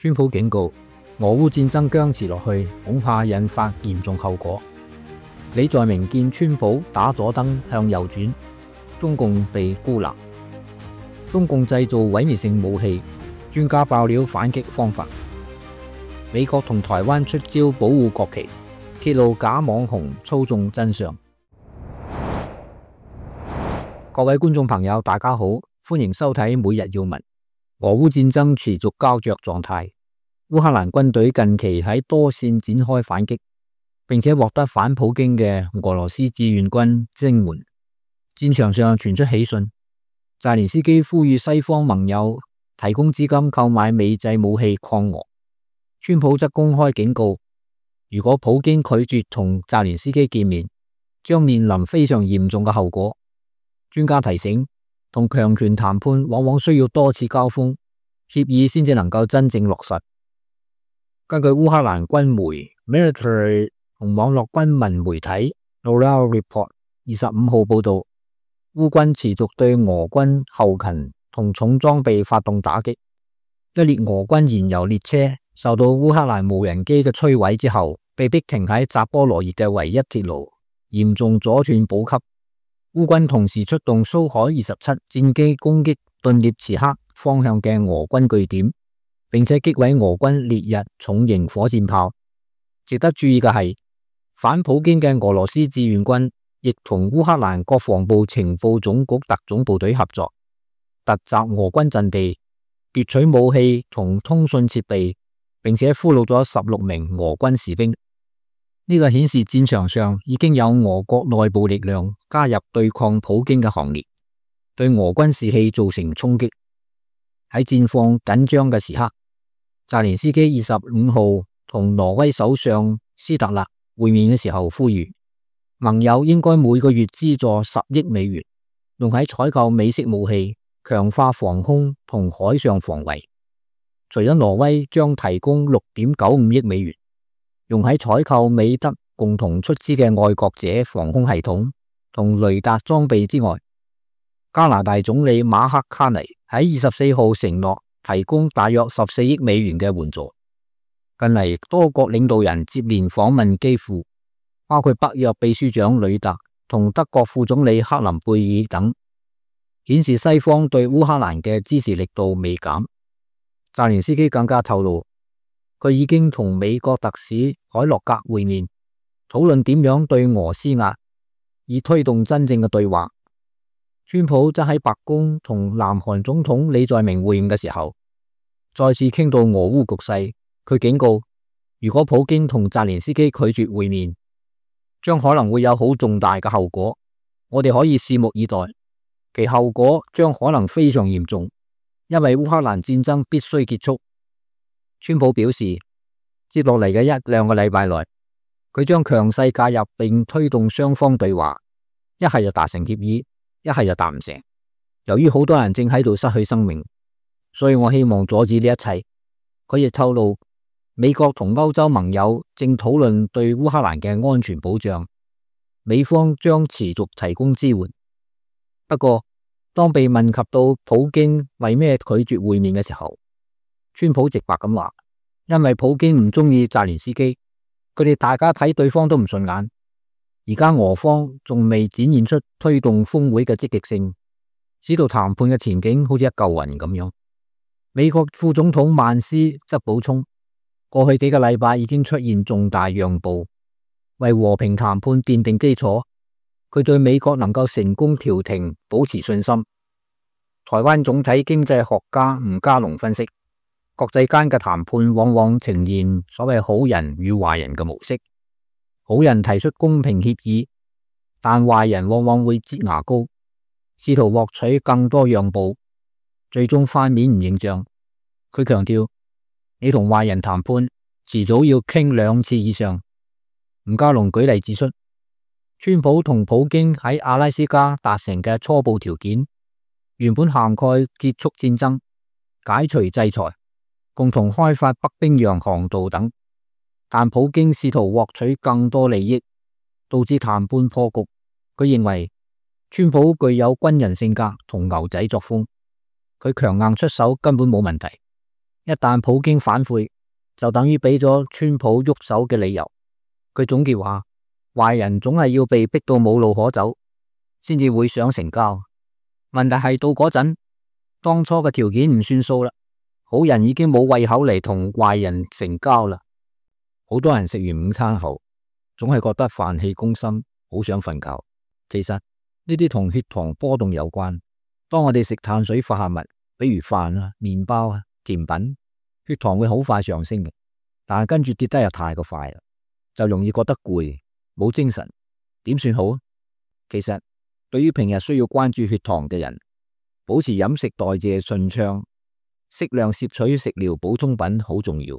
川普警告，俄烏戰爭僵持落去，恐怕引發嚴重後果。李在明見川普打左燈向右轉，中共被孤立。中共製造毀滅性武器，專家爆料反擊方法。美國同台灣出招保護國旗，揭露假網紅操縱真相。各位觀眾朋友，大家好，歡迎收睇每日要聞。俄烏戰爭持續膠着狀態，烏克蘭軍隊近期喺多線展開反擊，並且獲得反普京嘅俄羅斯志願軍增援。戰場上傳出喜訊，澤連斯基呼籲西方盟友提供資金購買美製武器抗俄。川普則公開警告，如果普京拒絕同澤連斯基見面，將面臨非常嚴重嘅後果。專家提醒，同強權談判往往需要多次交鋒，協議先至能夠真正落實。根據烏克蘭軍媒 Military 同網絡軍民媒體 Ural Report 25號報道，烏軍持續對俄軍後勤同重裝備發動打擊。一列俄軍燃油列車受到烏克蘭無人機嘅摧毀之後，被迫停喺扎波羅熱嘅唯一鐵路，嚴重阻斷補給。烏軍同時出動蘇海27戰機攻擊頓涅茨克方向嘅俄軍據點，並且擊毀俄軍烈日重型火箭炮。值得注意嘅係，反普京嘅俄羅斯志願軍亦同烏克蘭國防部情報總局特種部隊合作，突襲俄軍陣地，奪取武器同通訊設備，並且俘虜咗16名俄軍士兵。呢個顯示戰場上已經有俄國內部力量加入對抗普京嘅行列，對俄軍士氣造成衝擊。喺戰況緊張嘅時刻，澤連斯基25號同挪威首相斯特勒會面嘅時候呼籲，盟友應該每個月資助10億美元，用喺採購美式武器，強化防空同海上防衛。除咗挪威將提供6.95億美元，用喺採購美德共同出資嘅愛國者防空系統同雷達裝備之外，加拿大總理馬克卡尼喺24號承諾提供大約14億美元嘅援助。近嚟多國領導人接連訪問基輔，包括北約秘書長呂特同德國副總理克林貝爾等，顯示西方對烏克蘭嘅支持力度未減。澤連斯基更加透露，佢已經同美國特使海洛格會面，討論點樣對俄施壓，以推動真正嘅對話。川普則喺白宮同南韓總統李在明會晤嘅時候，再次傾到俄烏局勢。佢警告，如果普京同澤連斯基拒絕會面，將可能會有好重大嘅後果。我哋可以拭目以待，其後果將可能非常嚴重，因為烏克蘭戰爭必須結束。川普表示，接落嚟嘅1-2個禮拜內，佢將強勢介入並推動雙方對話，一係就達成協議，一係就達唔成。由於好多人正喺度失去生命，所以我希望阻止呢一切。佢亦透露，美國同歐洲盟友正討論對烏克蘭嘅安全保障，美方將持續提供支援。不過，當被問及到普京為咩拒絕會面嘅時候，川普直白咁話，因為普京唔中意澤連斯基，佢哋大家睇對方都唔順眼。而家俄方仲未展現出推動峰會嘅積極性，使到談判嘅前景好似一嚿雲咁樣。美國副總統曼斯則補充，過去幾個禮拜已經出現重大讓步，為和平談判奠定基礎。佢對美國能夠成功調停保持信心。台灣總體經濟學家吳家龍分析，國際間嘅談判往往呈現所謂好人與壞人嘅模式。好人提出公平協議，但壞人往往會擠牙膏，試圖獲取更多讓步，最終翻面唔認賬。佢強調，你同壞人談判，遲早要傾2次以上。吳家龍舉例指出，川普同普京喺阿拉斯加達成嘅初步條件，原本涵蓋結束戰爭、解除制裁、共同開發北冰洋航道等，但普京試圖獲取更多利益，導致談判破局。佢認為川普具有軍人性格同牛仔作風，佢強硬出手根本冇問題，一旦普京反悔，就等於俾咗川普喐手嘅理由。佢總結話，壞人總係要被逼到冇路可走，先至會想成交。問題係到嗰陣，當初嘅條件唔算數啦，好人已經冇胃口嚟同壞人成交啦。好多人食完午餐後，總係覺得飯氣攻心，好想瞓覺。其實呢啲同血糖波動有關。當我哋食碳水化合物，比如飯啊、麵包啊、甜品，血糖會好快上升嘅，但係跟住跌得又太過快啦，就容易覺得攰，冇精神。點算好啊？其實對於平日需要關注血糖嘅人，保持飲食代謝順暢，適量攝取食療補充品好重要，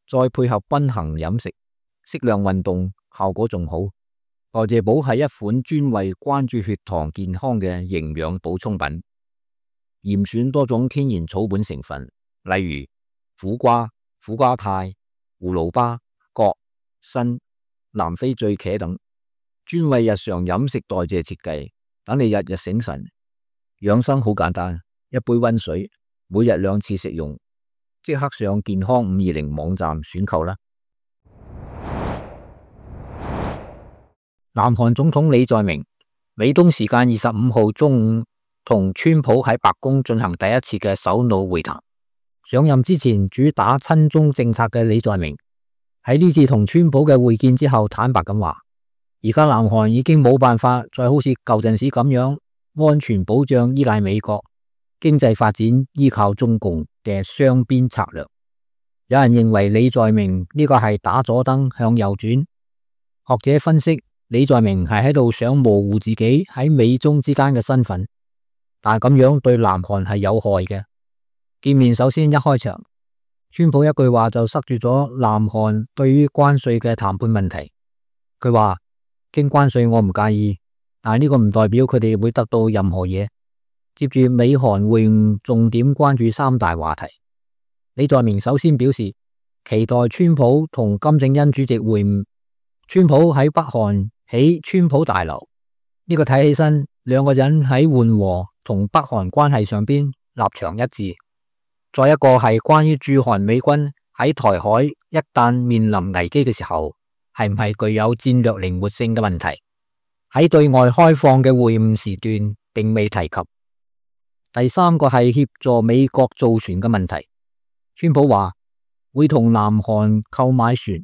再配合均衡飲食、適量運動，效果仲好。代謝寶係一款專為關注血糖健康嘅營養補充品，嚴選多種天然草本成分，例如苦瓜、苦瓜肽、葫蘆巴、葛、參、南非醉茄等，專為日常飲食代謝設計，等你日日醒神。養生好簡單，一杯溫水，每日2次食用，即刻上健康520網站選購啦。南韓總統李在明美東時間25號中午同川普喺白宮進行第一次嘅首腦會談。上任之前主打親中政策嘅李在明喺呢次同川普嘅會見之後坦白咁話，而家南韓已經冇辦法再好似舊陣時咁樣安全保障依賴美國，經濟發展依靠中共嘅雙邊策略。有人認為李在明呢個係打左燈向右轉，學者分析李在明係喺度想模糊自己喺美中之間嘅身份，但係咁樣對南韓係有害嘅。見面首先一開場，川普一句話就塞住咗南韓對於關稅嘅談判問題。佢話經關稅我唔介意，但係呢個唔代表佢哋會得到任何嘢。接住美韓會晤重點關注3大話題。李在明首先表示期待川普同金正恩主席會晤。川普喺北韓起川普大樓，呢個睇起身兩個人喺緩和同北韓關係上邊立場一致。再一個係關於駐韓美軍喺台海一旦面臨危機嘅時候，係唔係具有戰略靈活性嘅問題，喺對外開放嘅會晤時段並未提及。第三個係協助美國造船嘅問題。川普話會同南韓購買船，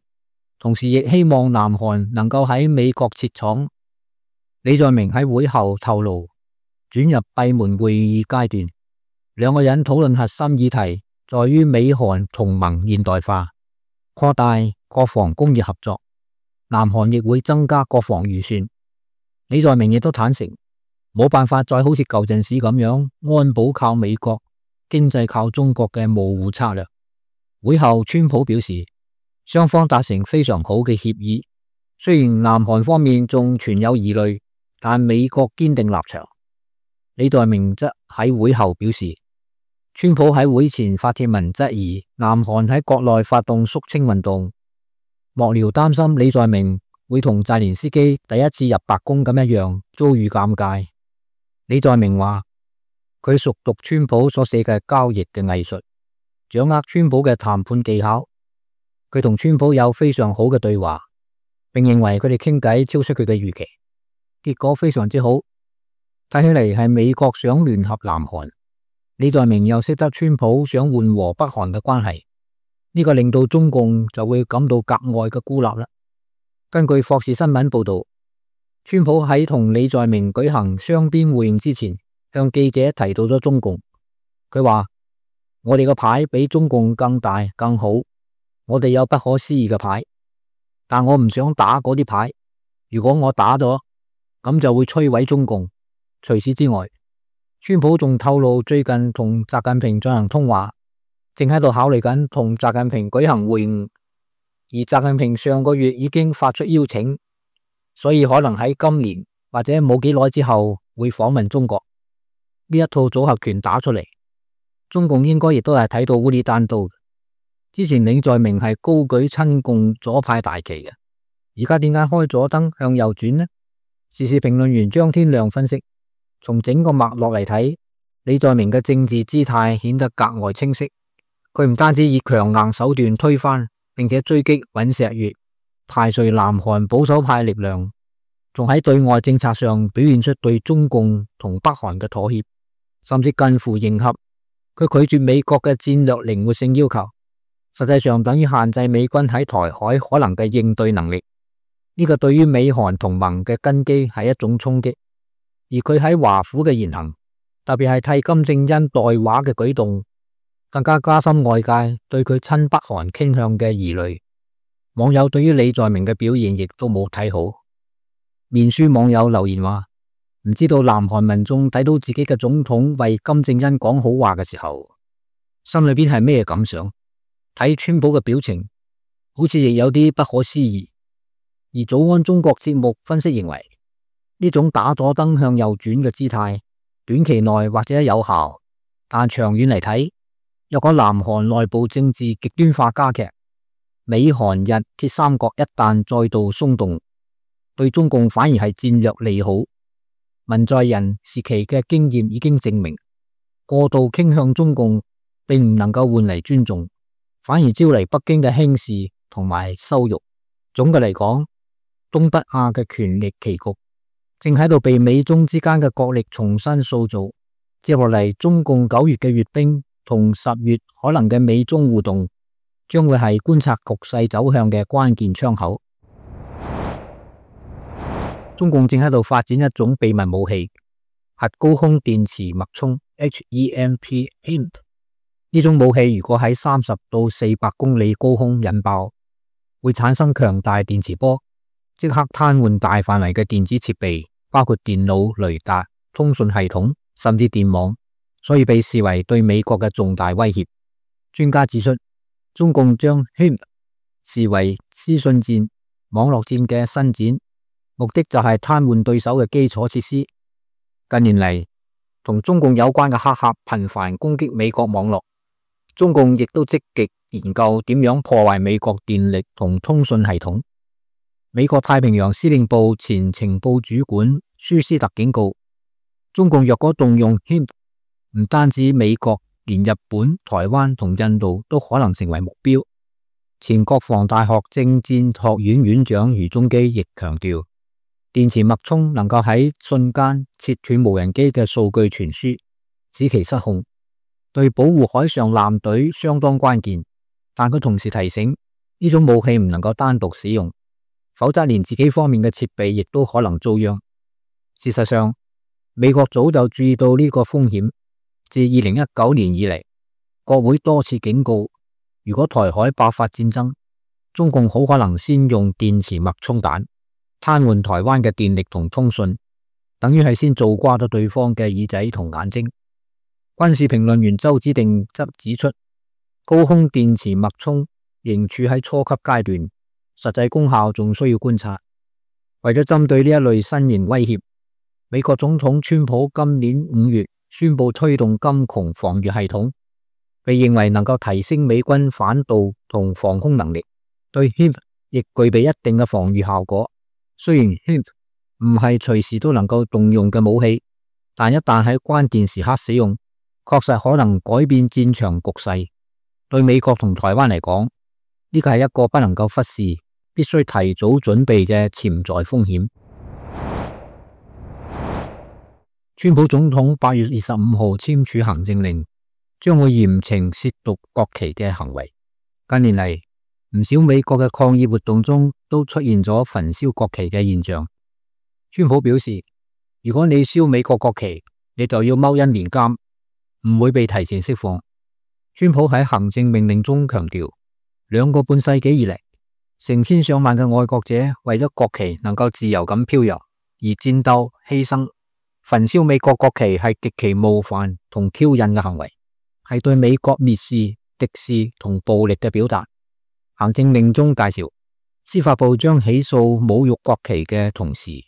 同時亦希望南韓能夠喺美國設廠。李在明喺會後透露，轉入閉門會議階段，兩個人討論核心議題在於美韓同盟現代化，擴大國防工業合作。南韓亦會增加國防預算。李在明亦都坦承，冇辦法再好似舊陣時咁樣安保靠美國，經濟靠中國嘅模糊策略。會後川普表示，雙方達成非常好嘅協議，雖然南韓方面仲存有疑慮，但美國堅定立場。李在明則喺會後表示，川普喺會前發帖文質疑南韓喺國內發動肅清運動，幕僚擔心李在明會同澤連斯基第一次入白宮咁一樣遭遇尷尬。李在明話佢熟讀川普所寫嘅交易嘅藝術，掌握川普嘅談判技巧。佢同川普有非常好嘅對話，並認為佢哋傾偈超出佢嘅預期，結果非常之好。睇起嚟係美國想聯合南韓，李在明又識得川普想緩和北韓嘅關係，呢個令到中共就會感到格外嘅孤立啦。根據霍士新聞報道，川普喺同李在明舉行雙邊會晤之前，向記者提到咗中共。佢話我哋個牌比中共更大更好，我哋有不可思議嘅牌，但我唔想打嗰啲牌。如果我打咗，咁就會摧毀中共。除此之外，川普仲透露最近同習近平進行通話，正喺度考慮緊同習近平舉行會晤，而習近平上個月已經發出邀請，所以可能喺今年或者冇幾耐之後會訪問中國。呢一套組合拳打出嚟，中共應該亦都係睇到烏里單刀。之前李在明係高舉親共左派大旗嘅，而家點解開左燈向右轉呢？時事評論員張天亮分析，從整個脈絡嚟睇，李在明嘅政治姿態顯得格外清晰。佢唔單止以強硬手段推翻，並且追擊尹錫悅，排除南韓保守派力量，仲喺對外政策上表現出對中共同北韓嘅妥協，甚至近乎迎合。佢拒絕美國嘅戰略靈活性要求，實際上等於限制美軍喺台海可能嘅應對能力。呢個對於美韓同盟嘅根基係一種衝擊。而佢喺華府嘅言行，特別係替金正恩代話嘅舉動，更加加深外界對佢親北韓傾向嘅疑慮。網友對於李在明嘅表現亦都冇睇好。面書網友留言話：唔知道南韓民眾睇到自己嘅總統為金正恩講好話嘅時候，心裏邊係咩感想？睇川普嘅表情，好似亦有啲不可思議。而早安中國節目分析認為，呢種打左燈向右轉嘅姿態，短期內或者有效，但長遠嚟睇，若果南韓內部政治極端化加劇，美韓日鐵三角一旦再度鬆動，對中共反而係戰略利好。文在寅時期嘅經驗已經證明，過度傾向中共並唔能夠換嚟尊重，反而招嚟北京嘅輕視同埋羞辱。總嘅嚟講，東北亞嘅權力棋局正喺度被美中之間嘅角力重新塑造。接落嚟，中共9月嘅閱兵同10月可能嘅美中互動，將會係觀察局勢走向嘅關鍵窗口。中共正喺度發展一種秘密武器——核高空電磁脈衝 （HEMP）。呢種武器如果喺30到400公里高空引爆，會產生強大電磁波，即刻癱瘓大範圍嘅電子設備，包括電腦、雷達、通訊系統，甚至電網，所以被視為對美國嘅重大威脅。專家指出，中共將 HEMP 視為資訊戰、網絡戰嘅伸展，目的就係癱瘓對手嘅基礎設施。近年嚟，同中共有關嘅黑客頻繁攻擊美國網絡，中共亦都積極研究點樣破壞美國電力同通訊系統。美國太平洋司令部前情報主管舒斯特警告，中共若果動用 HEMP， 唔單止美國，連日本、台灣同印度都可能成為目標。前國防大學政戰學院院長余宗基亦強調，電磁脈衝能夠喺瞬間切斷無人機嘅數據傳輸，使其失控，對保護海上艦隊相當關鍵。但佢同時提醒，呢種武器唔能夠單獨使用，否則連自己方面嘅設備亦都可能遭殃。事實上，美國早就注意到呢個風險。自2019年以嚟，國會多次警告，如果台海爆發戰爭，中共好可能先用電磁脈衝彈癱瘓台灣嘅電力同通訊，等於係先做瓜咗對方嘅耳仔同眼睛。軍事評論員周子定則指出，高空電磁脈衝仍處喺初級階段，實際功效仲需要觀察。為咗針對呢一類新型威脅，美國總統川普今年5月宣布推動金穹防禦系統，被認為能夠提升美軍反導同防空能力，對 HEMP 亦具備一定嘅防禦效果。雖然 HEMP 唔係隨時都能夠動用嘅武器，但一旦喺關鍵時刻使用，確實可能改變戰場局勢。對美國同台灣嚟講，呢個係一個不能夠忽視、必須提早準備嘅潛在風險。川普總統8月25號簽署行政令，將會嚴懲褻瀆國旗嘅行為。近年嚟，唔少美國嘅抗議活動中都出現咗焚燒國旗嘅現象。川普表示，如果你燒美國國旗，你就要踎1年監，唔會被提前釋放。川普喺行政命令中強調，2個半世紀以嚟，成千上萬嘅愛國者為咗國旗能夠自由咁飄揚而戰鬥犧牲。焚燒美國國旗係極其冒犯同挑釁嘅行為，係對美國蔑視、敵視同暴力嘅表達。行政令中介紹，司法部將起訴侮辱國旗嘅同時，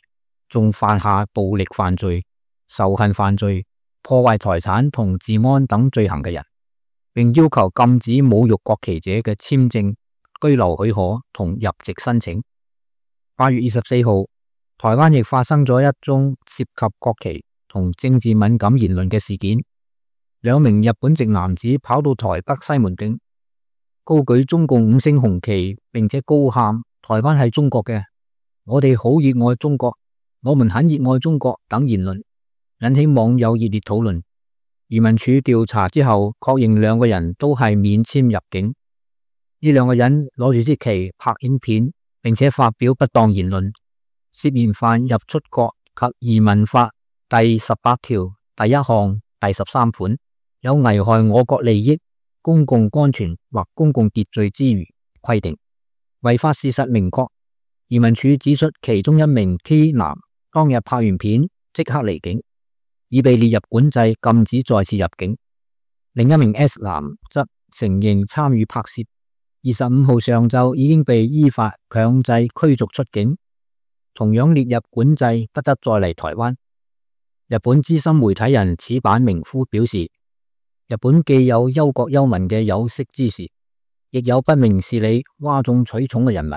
仲犯下暴力犯罪、仇恨犯罪、破壞財產同治安等罪行嘅人，並要求禁止侮辱國旗者嘅簽證、居留許可同入籍申請。8月24號，台灣亦發生咗一宗涉及國旗同政治敏感言論嘅事件。兩名日本籍男子跑到台北西門町，高舉中共5星紅旗，並且高喊台灣係中國嘅，我哋好熱愛中國，我們很熱愛中國等言論，引起網友熱烈討論。移民署調查之後，確認兩個人都係免簽入境。呢兩個人攞住支旗拍影片，並且發表不當言論，涉嫌犯入出國及移民法第18條第1項第13款，有危害我國利益、公共安全或公共秩序之餘規定。違法事實明確。移民署指出，其中一名 T 男當日拍完片即刻離境，已被列入管制，禁止再次入境。另一名 S 男則承認參與拍攝，25號上晝已經被依法強制驅逐出境，同樣列入管制，不得再嚟台灣。日本資深媒體人矢板明夫表示，日本既有憂國憂民嘅有識之士，亦有不明事理、嘩眾取寵嘅人物。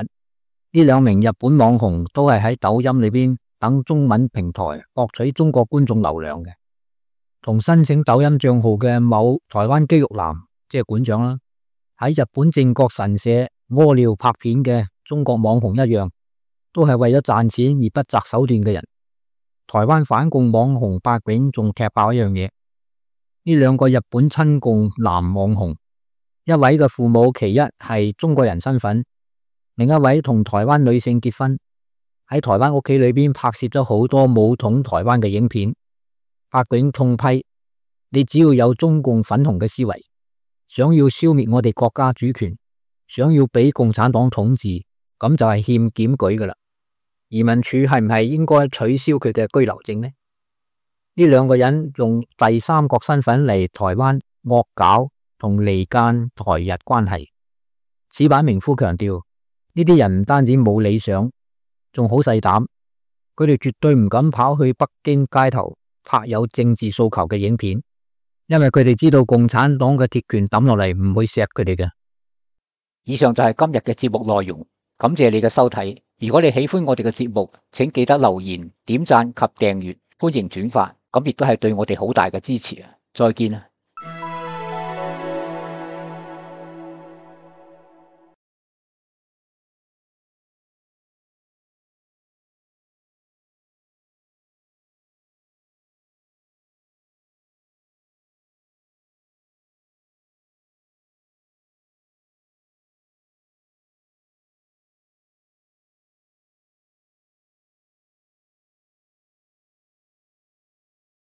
呢兩名日本網紅都係喺抖音裏邊等中文平台博取中國觀眾流量嘅，同申請抖音賬號嘅某台灣肌肉男，即係館長啦，喺日本靖國神社屙尿拍片嘅中國網紅一樣，都係為咗賺錢而不擇手段嘅人。台灣反共網紅八囧仲踢爆一樣嘢，呢兩個日本親共男網紅，一位嘅父母其一係中國人身份，另一位同台灣女性結婚，喺台灣屋企裏邊拍攝咗好多武統台灣嘅影片。八囧痛批，你只要有中共粉紅嘅思維，想要消滅我哋國家主權，想要俾共產黨統治，咁就係欠檢舉噶啦。移民署係唔係應該取消佢嘅居留證呢？呢兩個人用第三國身份嚟台灣惡搞同離間台日關係。矢板明夫強調，呢啲人唔單止冇理想，仲好細膽，佢哋絕對唔敢跑去北京街頭拍有政治訴求嘅影片，因為佢哋知道共產黨嘅鐵拳抌落嚟唔會錫佢哋嘅。以上就係今日嘅節目內容，感謝你嘅收睇。如果你喜歡我哋嘅節目，請記得留言、點讚及訂閱，歡迎轉發，咁亦都係對我哋好大嘅支持啊！再見啊！